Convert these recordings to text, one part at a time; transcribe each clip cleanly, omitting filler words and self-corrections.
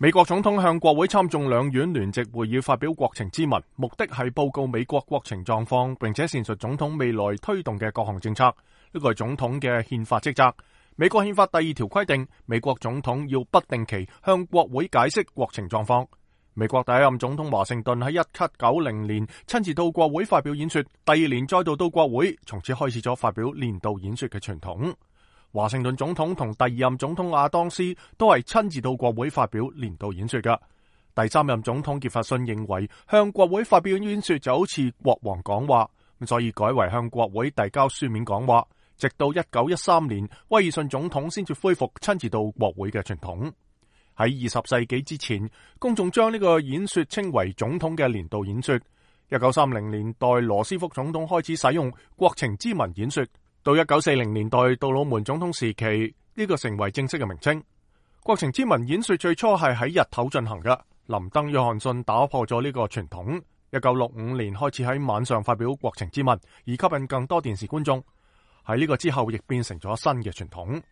美國總統向國會參眾兩院聯席會議發表國情咨文，目的係報告美國國情狀況，並且闡述總統未來推動嘅各項政策。呢個係總統嘅憲法職責。美國憲法第2條規定，美國總統要不定期向國會解釋國情狀況。美國第一任總統華盛頓喺1790年親自到國會發表演說，第2年再度到國會，從此開始咗發表年度演說嘅傳統。華盛頓總統同第2任總統亞當斯都係親自到國會發表年度演說㗎。第3任總統傑弗遜認為向國會發表演說就好似國王講話，所以改為向國會遞交書面講話。直到1913年，威爾遜總統先至恢復親自到國會嘅傳統。喺20世紀之前，公眾將呢個演說稱為總統嘅年度演說。1930年代，羅斯福總統開始使用國情咨文演說。到1940年代杜魯門總統時期，呢個成為正式嘅名稱。國情咨文演說最初係喺日頭進行嘅，林登約翰遜打破咗呢個傳統。1965年開始喺晚上發表國情咨文，以吸引更多電視觀眾。喺呢個之後，亦變成咗新嘅傳統。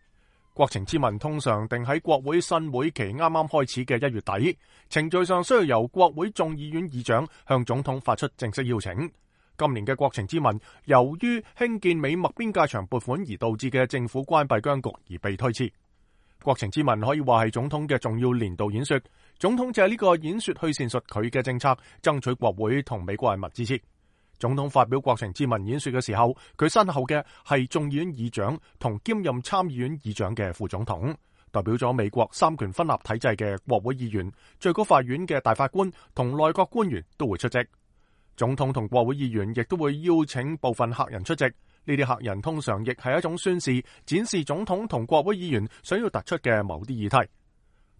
國情咨文通常定喺國會新會期啱啱開始嘅1月底，程序上需要由國會眾議院議長向總統發出正式邀請。今年嘅國情咨文由於興建美墨邊界牆撥款而導致嘅政府關閉僵局而被推遲。國情咨文可以話係總統嘅重要年度演說，總統借呢個演說去闡述佢嘅政策，爭取國會同美國人民支持。總統發表國情咨文演說嘅時候，佢身後嘅係眾議院議長同兼任參議院議長嘅副總統，代表咗美國三權分立體制嘅國會議員、最高法院嘅大法官同內閣官員都會出席。總統同國會議員亦都會邀請部分客人出席，呢啲客人通常亦係一種宣示，展示總統同國會議員想要突出嘅某啲議題。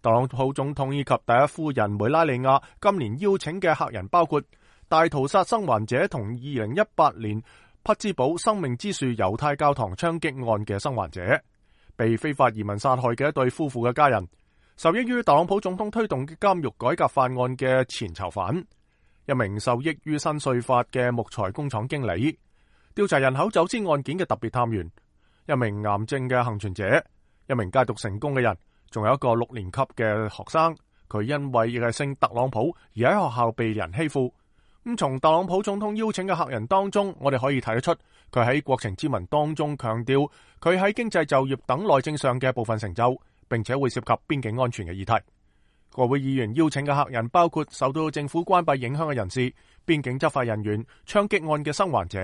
特朗普總統以及第一夫人梅拉尼亞今年邀請嘅客人包括大屠殺生還者同2018年匹茲堡生命之樹猶太教堂槍擊案嘅生還者，被非法移民殺害嘅一對夫婦嘅家人，受益於特朗普總統推動嘅監獄改革法案嘅前囚犯，一名受益於新稅法嘅木材工廠經理，調查人口走私案件嘅特別探員，一名癌症嘅幸存者，一名戒毒成功嘅人，仲有一個6年級嘅學生，佢因為亦係姓特朗普而喺學校被人欺負。咁從特朗普總統邀請嘅客人當中，我哋可以睇得出佢喺國情咨文當中強調佢喺經濟、就業等內政上嘅部分成就，並且會涉及邊境安全嘅議題。國會議員邀請嘅客人包括受到政府關閉影響嘅人士、邊境執法人員、槍擊案嘅生還者、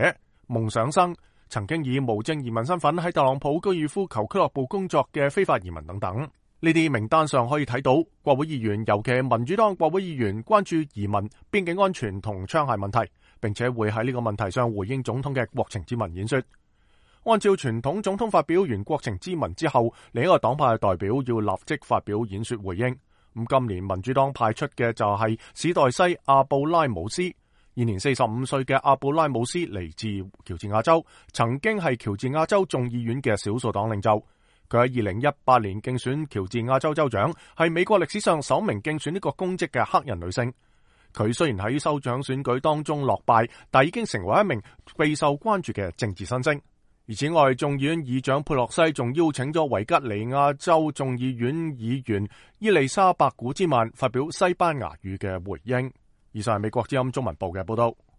夢想生、曾經以無證移民身份喺特朗普高爾夫球俱樂部工作嘅非法移民等等。呢啲名單上可以睇到，國會議員尤其係民主黨國會議員關注移民、邊境安全同槍械問題，並且會喺呢個問題上回應總統嘅國情咨文演說。按照傳統，總統發表完國情咨文之後，另一個黨派嘅代表要立即發表演說回應。咁今年民主黨派出嘅就係史代西阿布拉姆斯，現年45歲嘅阿布拉姆斯嚟自喬治亞州，曾經係喬治亞州眾議院嘅少數黨領袖。佢喺2018年競選喬治亞州州長，係美國歷史上首名競選呢個公職嘅黑人女性。佢雖然喺州長選舉當中落敗，但已經成為一名備受關注嘅政治新星。而此外，眾議院議長佩洛西仲邀請咗維吉尼亞州眾議院議員伊麗莎白古茲曼發表西班牙語嘅回應。以上係美國之音中文部嘅報道。